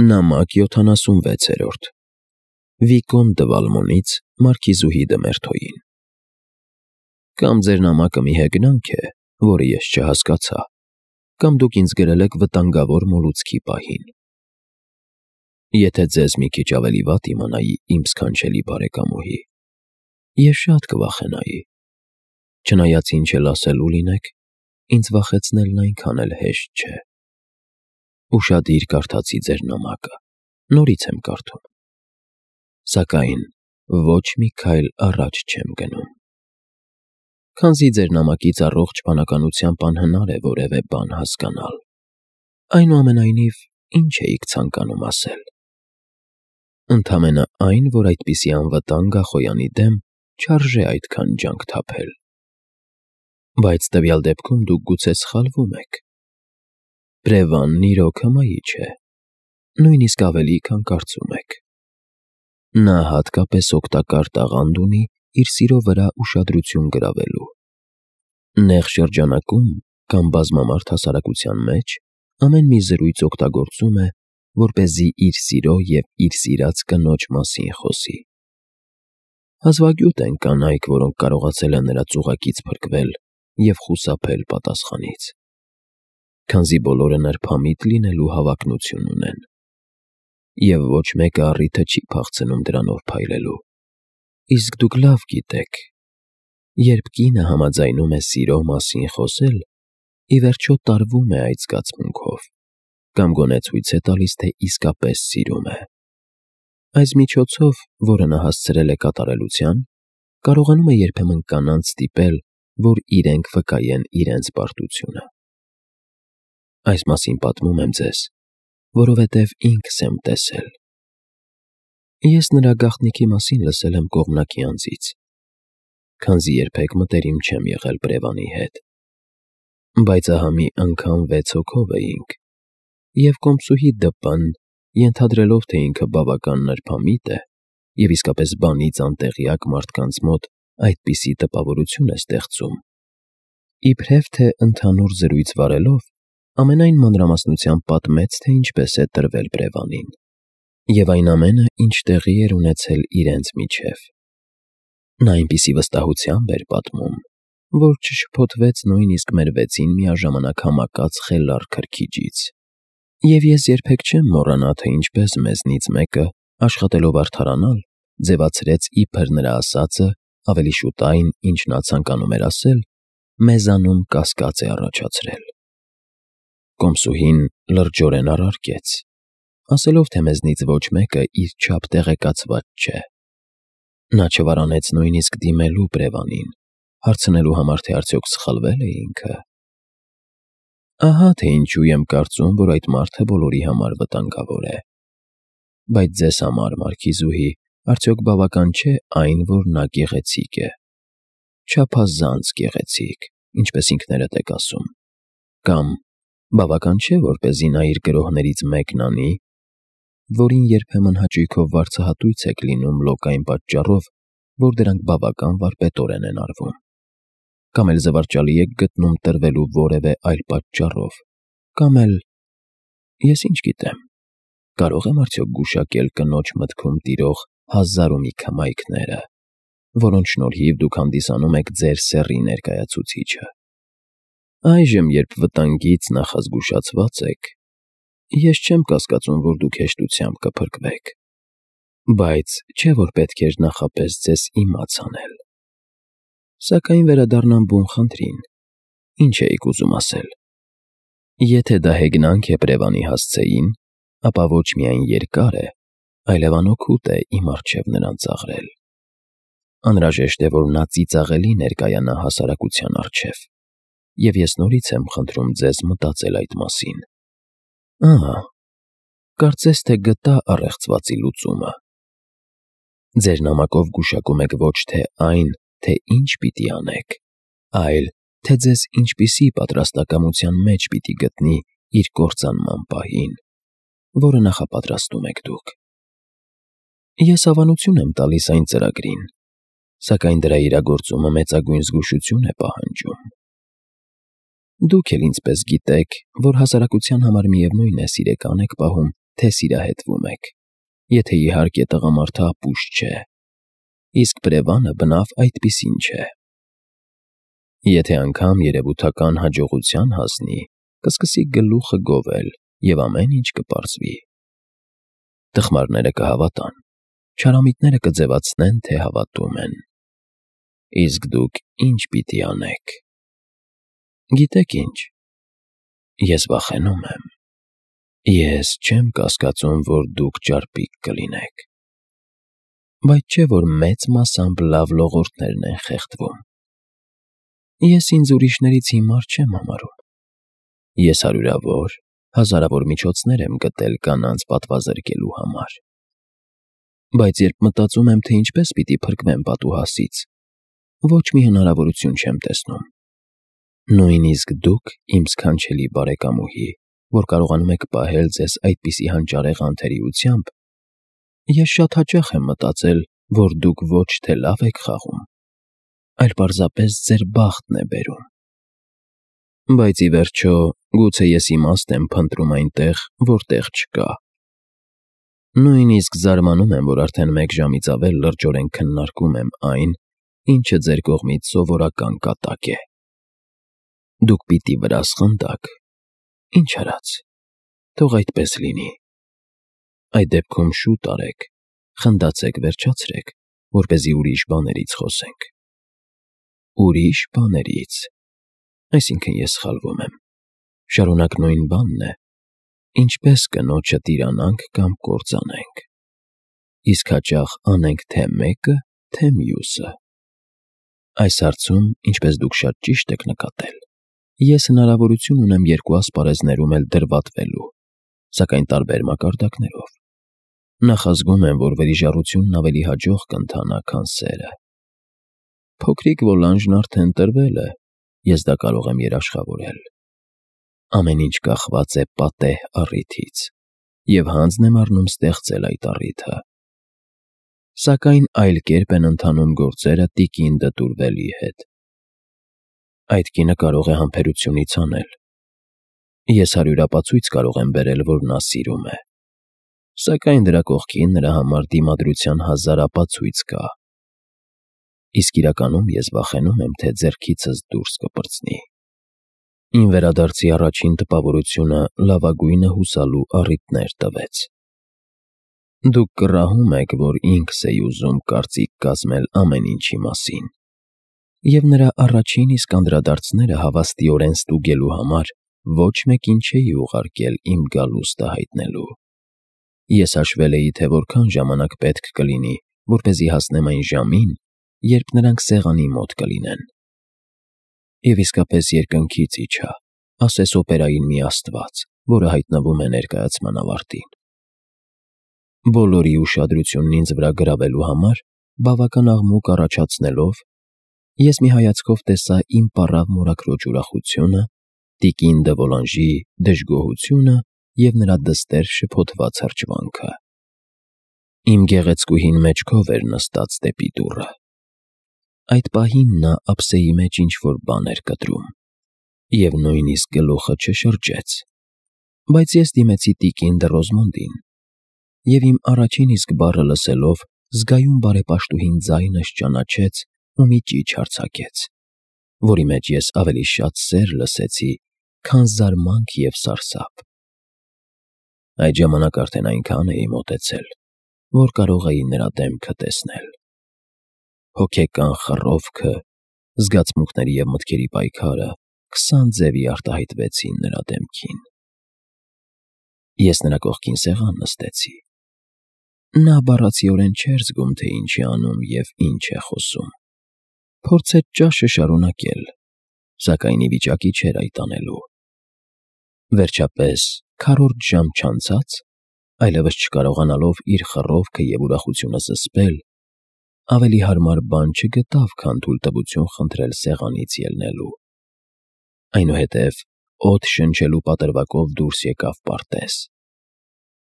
Նամակ 76-րդ Վիկոն դը Վալմոնից Մարքիզուհի դը Մերթոյին։ Կամ ձեր նամակը մի հեգնանք է, որը ես չհասկացա, կամ դուք ինձ գրել եք վտանգավոր մոլուցքի պահին։ Եթե ձեզ մի քիչ ավելի վատ իմանայի իմ սքանչելի բարեկամուհի, ես շատ կվախենայի, չնայած ինչ էլ ասելու լինեք, ինձ վախեցնելն այնքան էլ հեշտ չէ։ Ուշադիր կարդացի ձեր նամակը, նորից եմ կարդում, սակայն ոչ մի քայլ առաջ չեմ գնում։ Քանզի ձեր նամակից առողջ բանականությամբ անհնար է որևէ բան հասկանալ, այնուամենայնիվ ինչ էիք ցանկանում ասել։ Ընդամենը այն, որ այդպիսի անվտանգ Ախոյանի դեմ չարժե այդքան ջանք թափել։ Բայց տվյալ դեպքում դուք գուցե սխալվում եք։ Բրևանն իրոք հմայիչ է, նույնիսկ ավելի, քան կարծում եք։ Նա հատկապես օգտակար տաղանդ ունի իր սիրո վրա ուշադրություն գրավելու։ Նեղ շրջանակում կամ բազմամարդ հասարակության մեջ ամեն մի զրույց օգտագործում է, որպեսզի իր սիրո և իր սիրած կնոջ մասին խոսի։ Հազվագյուտ են կանայք, որոնք կարողացել են նրա ծուղակից փրկվել և խուսափել պատասխանից, քանզի բոլորը նրբամիտ լինելու հավակնություն ունեն, և ոչ մեկը առիթը չի փախցնում դրանով փայլելու։ Իսկ դուք լավ գիտեք, երբ կինը համաձայնում է սիրո մասին խոսել, ի վերջո տարվում է այդ զգացմունքով, կամ գոնե ցույց է տալիս, թե իսկապես սիրում է։ Այս միջոցով, որը նա հասցրել է կատարելության, կարողանում է երբեմն կանանց ստիպել, որ իրենք վկայեն իրենց պարտությունը։ Այս մասին պատմում եմ ձեզ, որովհետև ինքս եմ տեսել։ Ես նրա գաղտնիքի մասին լսել եմ կողմնակի անձից, քանզի երբեք մտերիմ չեմ եղել Բրևանի հետ։ Բայց ահա մի անգամ 6 հոգով էինք, և կոմսուհի Դ.П.-ն, ենթադրելով, թե ինքը բավական նրբամիտ է և իսկապես բանից անտեղյակ մարդկանց մոտ այդպիսի տպավորություն է ստեղծում, իբրև թե ընդհանուր զրույց վարելով, ամենայն մանրամասնությամբ պատմեց, թե ինչպես է տրվել Բրևանին, և այն ամենը, ինչ տեղի էր ունեցել իրենց միջև։ Նա այնպիսի վստահությամբ էր պատմում, որ չշփոթվեց նույնիսկ մեր 6-ին միաժամանակ համակած խելառ քրքիջից։ Եվ ես երբեք չեմ մոռանա, թե ինչպես մեզնից մեկը, աշխատելով արդարանալ, ձևացրեց իբր նրա ասածը, ավելի շուտ այն, ինչ նա ցանկանում էր ասել, մեզանում կասկած է առաջացրել։ Կոմսուհին լրջորեն առարկեց, ասելով, թե մեզնից ոչ մեկը իր չափ տեղեկացված չէ։ Նա չվարանեց նույնիսկ դիմելու Բրևանին, հարցնելու համար, թե արդյոք սխալվե՞լ է ինքը։ Ահա թե ինչու եմ կարծում, որ այդ մարդը բոլորի համար վտանգավոր է։ Բայց ձեզ համար, Մարքիզուհի, արդյոք բավական չէ այն, որ նա գեղեցիկ է։ Չափազանց գեղեցիկ, ինչպես ինքներդ եք ասում։ Կամ բավական չէ, որպեսզի նա իր գրոհներից մեկն անի, որին երբեմն հաճույքով վարձահատույց եք լինում լոկ այն պատճառով, որ դրանք բավական վարպետորեն են արվում։ Կամ էլ զվարճալի եք գտնում տրվելու որևէ այլ պատճառով, կամ էլ, ես ինչ գիտեմ, կարող եմ արդյոք գուշակել կնոջ մտքում տիրող 1000 ու մի քմայքները, որոնց շնորհիվ դուք հանդիսանում եք ձեր սեռի ներկայացուցիչը։ Այժմ, երբ վտանգից նախազգուշացված եք, ես չեմ կասկածում, որ դուք հեշտությամբ կփրկվեք, բայց չէ՞ որ պետք էր նախապես ձեզ իմաց անել։ Սակայն վերադառնամ բուն խնդրին, ինչ էիք ուզում ասել։ Եթե դա հեգնանք է Բրևանի հասցեին, ապա ոչ միայն երկար է, այլև անօգուտ է իմ առջև նրան ծաղրել։ Անհրաժեշտ է, որ նա ծիծաղելի ներկայանա հասարակության առջև, և ես նորից եմ խնդրում ձեզ մտածել այդ մասին։ Ահա, կարծես թե գտա առեղծվածի լուծումը։ Ձեր նամակով գուշակում եք ոչ թե այն, թե ինչ պիտի անեք, այլ թե ձեզ ինչպիսի պատրաստակամության մեջ պիտի գտնի իր կործանման պահին, որը նախապատրաստում եք դուք։ Ես հավանություն եմ տալիս այն ծրագրին, սակայն դրա իրագործումը մեծագույն զգուշություն է պահանջում։ Դուք էլ ինձպես գիտեք, որ հասարակության համար միևնույն է սիրեկան եք պահում թե սիրահետվում եք, եթե իհարկե տղամարդը ապուշ չէ, իսկ բրևանը բնավ այդպիսին չէ։ Եթե անգամ երևութական հաջողության հասնի, կսկսի գլուխը գովել և ամեն ինչ կպարզվի։ Տխմարները կհավատան, չարամիտները կձևացնեն, թե հավատում են։ Իսկ դուք ինչ պիտի անեք։ Գիտեք ինչ, ես վախենում եմ։ Ես չեմ կասկածում, որ դուք ճարպիկ կլինեք, բայց չէ՞ որ մեծ մասամբ լավ լողորդներն են խեղդվում։ Ես ինձ ուրիշներից հիմար չեմ համարում։ Ես հարյուրավոր, հազարավոր միջոցներ եմ գտել կանանց պատվազրկելու համար։ Բայց երբ մտածում եմ, թե ինչպես պիտի փրկվեմ պատուհասից, ոչ մի հնարավորություն չեմ տեսնում։ Նույնիսկ դուք, իմ սքանչելի բարեկամուհի, որ կարողանում եք պահել ձեզ այդպիսի հանճարեղ անթերիությամբ, ես շատ հաճախ եմ մտածել, որ դուք ոչ թե լավ եք խաղում, այլ պարզապես ձեր բախտն է բերում։ Բայց ի վերջո, գուցե ես իմաստ եմ փնտրում այնտեղ, որտեղ չկա։ Նույնիսկ զարմանում եմ, որ արդեն 1 ժամից ավել լրջորեն քննարկում եմ այն, ինչը ձեր կողմից սովորական կատակ է։ Դուք պիտի վրասխնդաք։ Ինչ արած, թող այդպես լինի։ Այդ դեպքում շուտ արեք, խնդացեք վերջացրեք, որպեսզի ուրիշ բաներից խոսենք։ Ուրիշ բաներից։ Այսինքն ես սխալվում եմ։ Շարունակ նույն բանն է, ինչպես կնոջը տիրանանք կամ կործանենք։ Իսկ հաճախ անենք թե մեկը, թե մյուսը։ Այս հարցում, ինչպես դուք շատ ճիշտ եք նկատել, ես հնարավորություն ունեմ 2 ասպարեզներում էլ դրվատվելու, սակայն տարբեր մակարդակներով։ Նախազգում եմ, որ վերիժառությունն ավելի հաջող կընթանա, քան սերը։ Փոքրիկ Վոլանժն արդեն տրվել է, ես դա կարող եմ երաշխավորել։ Ամեն ինչ կախված է պատեհ առիթից, և հանձն եմ առնում ստեղծել այդ առիթը։ Սակայն այլ կերպ են ընթանում գործերը տիկին Դտուրվելի հետ։ Այդ կինը կարող է համբերությունից անել։ Ես հարյուրապացույց կարող եմ բերել, որ նա սիրում է։ Սակայն դրա կողքին նրա համար դիմադրության 1000 ապացույց կա։ Իսկ իրականում ես վախենում եմ, թե ձեռքիցս դուրս կպրծնի։ Իմ վերադարձի առաջին տպավորությունը լավագույնը հուսալու առիթներ տվեց։ Դուք կռահում եք, որ ինքս էի ուզում կարծիք կազմել ամեն ինչի մասին, և նրա առաջին իսկ անդրադարձները հավաստիորեն ստուգելու համար ոչ մեկին չէի ուղարկել իմ գալուստը հայտնելու։ Ես հաշվել էի, թե որքան ժամանակ պետք կլինի, որպեսզի հասնեմ այն ժամին, երբ նրանք սեղանի մոտ կլինեն։ Եվ իսկապես երկնքից իջա, ասես օպերային մի աստված, որը հայտնվում է ներկայացման ավարտին։ Բոլորի ուշադրությունն ինձ վրա գրավելու համար, բավական աղմուկ առաջացնելով, ես մի հայացքով տեսա իմ պառավ մորաքրոջ ուրախությունը, տիկին դը Վոլանժի դժգոհությունը և նրա դստեր շփոթված հրճվանքը։ Իմ գեղեցկուհին մեջքով էր նստած դեպի դուռը։ Այդ պահին նա ափսեի մեջ ինչ-որ բան էր կտրում, և նույնիսկ գլուխը չշրջեց, բայց ես դիմեցի տիկին դը Ռոզմոնդին, և իմ առաջին իսկ բառը լսելով զգայուն բարեպաշտուհին ձայնս ճանաչեց ու մի ճիչ արձակեց, որի մեջ ես ավելի շատ սեր լսեցի, քան զարմանք և սարսափ։ Այդ ժամանակ արդեն այնքան էի մոտեցել, որ կարող էի նրա դեմքը տեսնել։ Հոգեկան խռովքը, զգացմունքների և մտքերի պայքարը 20 ձևի արտահայտվեցին նրա դեմքին։ Ես նրա կողքին սեղան նստեցի։ Նա բառացիորեն չէր զգում, թե ինչ է անում և ինչ է խոսում։ Փորձեց ճաշը շարունակել, սակայն ի վիճակի չէր այդ անելու։ Վերջապես, քառորդ ժամ չանցած, այլևս չկարողանալով իր խռովքը և ուրախությունը զսպել, ավելի հարմար բան չգտավ, քան թույլտվություն խնդրել սեղանից ելնելու։ Այնուհետև օդ շնչելու պատրվակով դուրս եկավ պարտեզ։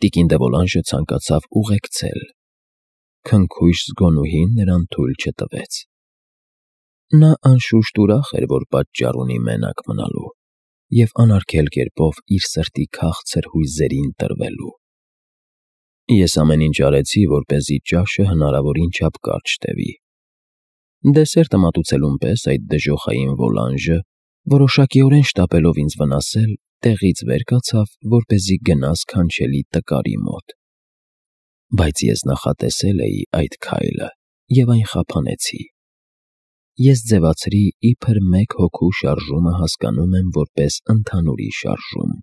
Տիկին դը Վոլանժը ցանկացավ ուղեկցել։ Քնքույշ զգոնուհին նրան թույլ չտվեց։ Նա անշուշտ ուրախ էր, որ պատճառ ունի մենակ մնալու և անարգել կերպով իր սրտի քաղցր հույզերին տրվելու։ Ես ամեն ինչ արեցի, որպեսզի ճաշը հնարավորին չափ կարճ տևի։ Դեսերտը մատուցելուն պես այդ դժոխային Վոլանժը, որոշակիորեն շտապելով ինձ վնասել, տեղից վեր կացավ, որպեսզի գնա սքանչելի տկարի մոտ։ Բայց ես նախատեսել էի այդ քայլը և այն խափանեցի։ Ես ձևացրի, իբր մեկ հոգու շարժումը հասկանում եմ որպես ընդհանուրի շարժում,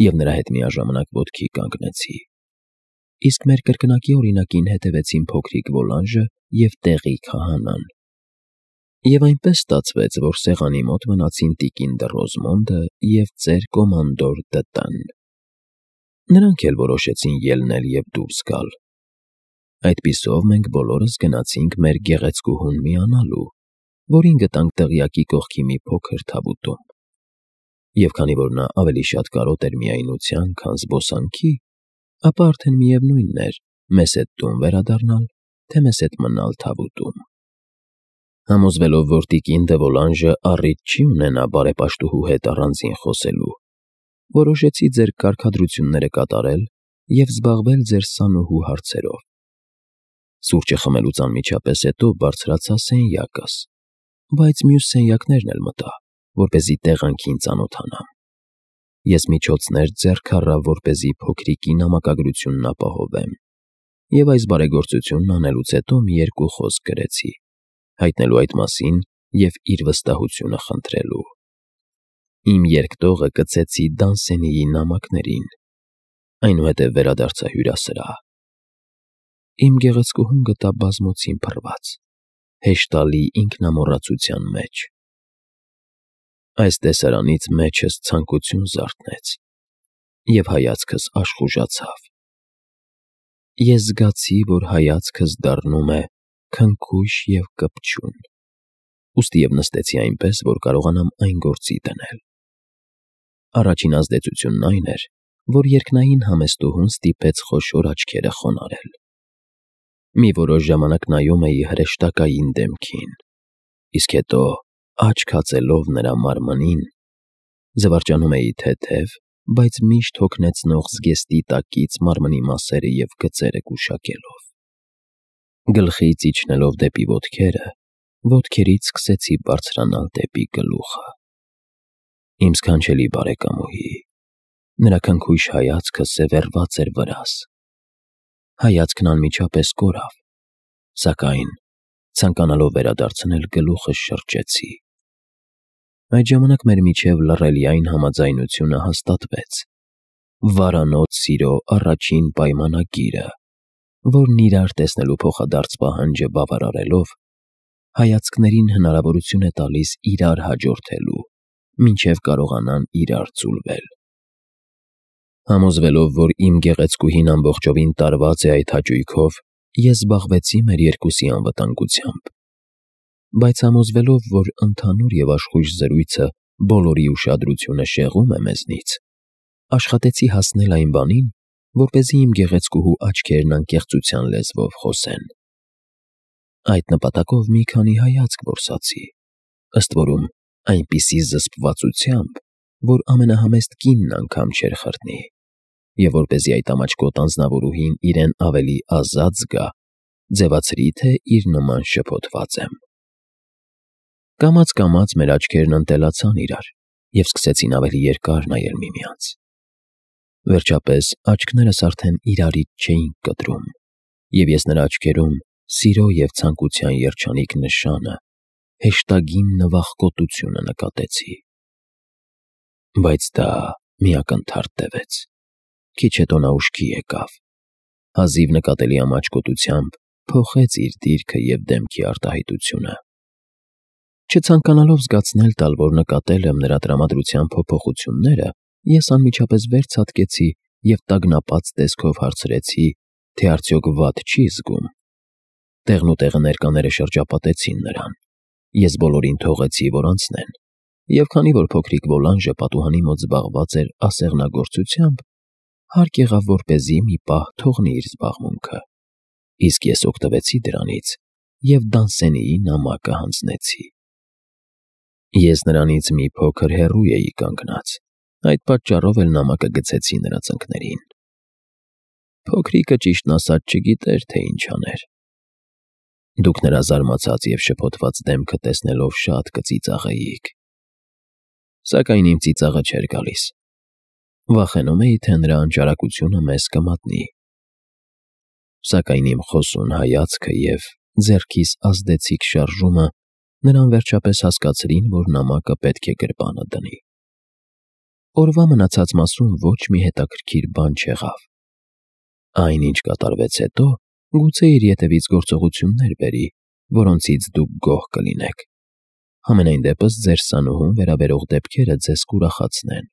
և նրա հետ միաժամանակ ոտքի կանգնեցի։ Իսկ մեր կրկնակի օրինակին հետևեցին փոքրիկ Վոլանժը և տեղի քահանան։ Եվ այնպես ստացվեց, որ սեղանի մոտ մնացին տիկին դը Ռոզմոնդը և ծեր կոմանդոր Տ.Տ.-ն։ Նրանք էլ որոշեցին ելնել և դուրս գալ։ Այդպիսով մենք բոլորս գնացինք մեր գեղեցկուհուն միանալու, որին գտանք դղյակի կողքի մի փոքր թավուտում։ Եվ քանի որ նա ավելի շատ կարոտ էր միայնության, քան զբոսանքի, ապա արդեն միևնույն էր մեզ հետ տուն վերադառնալ, թե մեզ հետ մնալ թավուտում։ Համոզվելով, որ տիկին դը Վոլանժը առիթ չի ունենա բարեպաշտուհու հետ առանձին խոսելու, որոշեցի ձեր կարգադրությունները կատարել և զբաղվել ձեր սանուհու հարցերով։ Սուրճը խմելուց անմիջապես հետո բարձրացա սենյակս, բայց մյուս սենյակներն էլ մտա, որպեսզի տեղանքին ծանոթանամ։ Ես միջոցներ ձեռք առա, որպեսզի փոքրիկի նամակագրությունն ապահովեմ, և այս բարեգործությունն անելուց հետո մի երկու խոսք գրեցի, հայտնելու այդ մասին և իր վստահությունը խնդրելու։ Իմ երկտողը կցեցի Դանսենիի նամակներին, այնուհետև վերադարձա հյուրասրահ։ Իմ գեղեցկուհուն գտա բազմոցին փռված, հեշտալի ինքնամոռացության մեջ։ Այս տեսարանից մեջս ցանկություն զարթնեց, և հայացքս աշխուժացավ։ Ես զգացի, որ հայացքս դառնում է քնքուշ և կպչուն, ուստի և նստեցի այնպես, որ կարողանամ այն գործի դնել։ Առաջին ազդեցությունն այն էր, որ երկնային համեստուհուն ստիպեց խոշոր աչքերը խոնարհել։ Մի որոշ ժամանակ նայում էի հրեշտակային դեմքին, իսկ հետո, աչք հացելով նրա մարմնին, զվարճանում էի թեթև, բայց միշտ հոգնեցնող զգեստի տակից մարմնի մասերը և գծերը գուշակելով։ Գլխից իջնելով դեպի ոտքերը, ոտքերից սկսեցի բարձրանալ դեպի գլուխը։ Իմ սքանչելի բարեկամուհի, նրա քնքուշ հայացքը սևեռված էր վրաս։ Հայացքն անմիջապես կորավ, սակայն, ցանկանալով վերադարձնել, գլուխս շրջեցի։ Այդ ժամանակ մեր միջև լռելիային համաձայնությունը հաստատվեց, վարանոց սիրո առաջին պայմանագիրը, որն իրար տեսնելու փոխադարձ պահանջը բավարարելով, հայացքներին հնարավորություն է տալիս իրար հաջորդելու, մինչև կարողանան իրար ձուլվել։ Համոզվելով, որ իմ գեղեցկուհին ամբողջովին տարված է այդ հաճույքով, ես զբաղվեցի մեր երկուսի անվտանգությամբ։ Բայց համոզվելով, որ ընդհանուր և աշխույժ զրույցը բոլորի ուշադրությունը շեղում է մեզնից, աշխատեցի հասնել այն բանին, որպեսզի իմ գեղեցկուհու աչքերն անկեղծության լեզվով խոսեն։ Այդ նպատակով մի քանի հայացք որսացի, ըստ որում այնպիսի զսպվածությամբ, որ ամենահամեստ կինն անգամ չէր խրտնի, և որպեսզի այդ ամաչկոտ անձնավորուհին իրեն ավելի ազատ զգա, ձևացրի, թե իր նման շփոթված եմ։ Կամաց մեր աչքերն ընտելացան իրար և սկսեցին ավելի երկար նայել միմյանց։ Վերջապես աչքներս արդեն իրարից չէին կտրում, և ես նրա աչքերում սիրո և ցանկության երջանիկ նշանը, հեշտագին նվախկոտությունը նկատեցի։ Բայց դա մի ակնթարթ տևեց։ Քիչ հետո նա ուշքի եկավ, հազիվ նկատելի ամաչկոտությամբ փոխեց իր դիրքը և դեմքի արտահայտությունը։ Չցանկանալով զգացնել տալ, որ նկատել եմ նրա տրամադրության փոփոխությունները, ես անմիջապես վեր ցատկեցի և տագնապած տեսքով հարցրեցի, թե արդյոք վատ չի զգում։ Տեղնուտեղը ներկաները շրջապատեցին նրան։ Ես բոլորին թողեցի, որ անցնեն, և քանի որ փոքրիկ Վոլանժը պատուհանի մոտ զբաղված էր ասեղնագործությամբ, հարկ եղավ, որպեսզի մի պահ թողնի իր զբաղմունքը, իսկ ես օգտվեցի դրանից և Դանսենիի նամակը հանձնեցի։ Ես նրանից մի փոքր հեռու էի կանգնած, այդ պատճառով էլ նամակը գցեցի նրա ծնկներին։ Փոքրիկը ճիշտն ասած չգիտեր, թե ինչ աներ։ Դուք նրա զարմացած և շփոթված դեմքը տեսնելով շատ կծիծաղեիք։ Սակայն իմ ծիծաղը չէր գալիս։ Վախենում էի, թե նրա անճարակությունը մեզ կմատնի։ Սակայն իմ խոսուն հայացքը և ձեռքիս ազդեցիկ շարժումը նրան վերջապես հասկացրին, որ նամակը պետք է գրպանը դնի։ Օրվա մնացած մասում ոչ մի հետաքրքիր բան չեղավ։ Այն, ինչ կատարվեց հետո, գուցե իր ետևից գործողություններ բերի, որոնցից դուք գոհ կլինեք։ Համենայն դեպս ձեր սանուհուն վերաբերող դեպքերը ձեզ կուրախացնեն։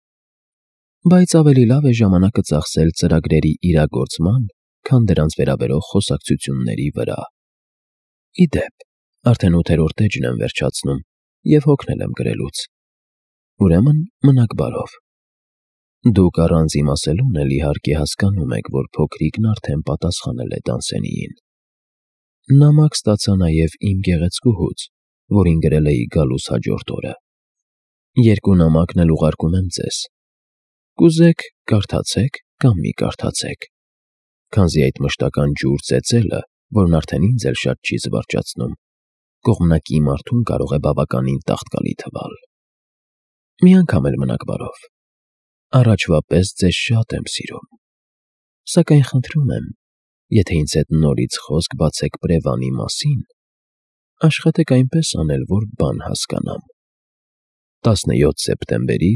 Բայց ավելի լավ է ժամանակը ծախսել ծրագրերի իրագործման, քան դրանց վերաբերող խոսակցությունների վրա։ Ի դեպ, արդեն 8-րդ էջն եմ վերջացնում և հոգնել եմ գրելուց։ Ուրեմն մնաք բարով։ Դուք առանց իմասելուն էլ իհարկե հասկանում եք, որ փոքրիկն արդեն պատասխանել է Դանսենիին։ Նամակ ստացա նաև իմ գեղեցկուհուց, որին գրել էի գալուս հաջորդ օրը։ Երկու նամակն էլ ուղարկում եմ ձեզ։ Կուզեք կարդացեք կամ մի կարդացեք, քանզի այդ մշտական ջուր ծեծելը, որն արդեն ինձ էլ շատ չի զվարճացնում, կողմնակի մարդուն կարող է բավականին տաղտկալի թվալ։ Մի անգամ էլ մնաք բարով։ Առաջվա պես ձեզ շատ եմ սիրում։ Սակայն խնդրում եմ, եթե ինձ հետ նորից խոսք բացեք Պրևանի մասին, աշխատեք այնպես անել, որ բան հասկանամ։ 17 սեպտեմբերի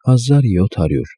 1700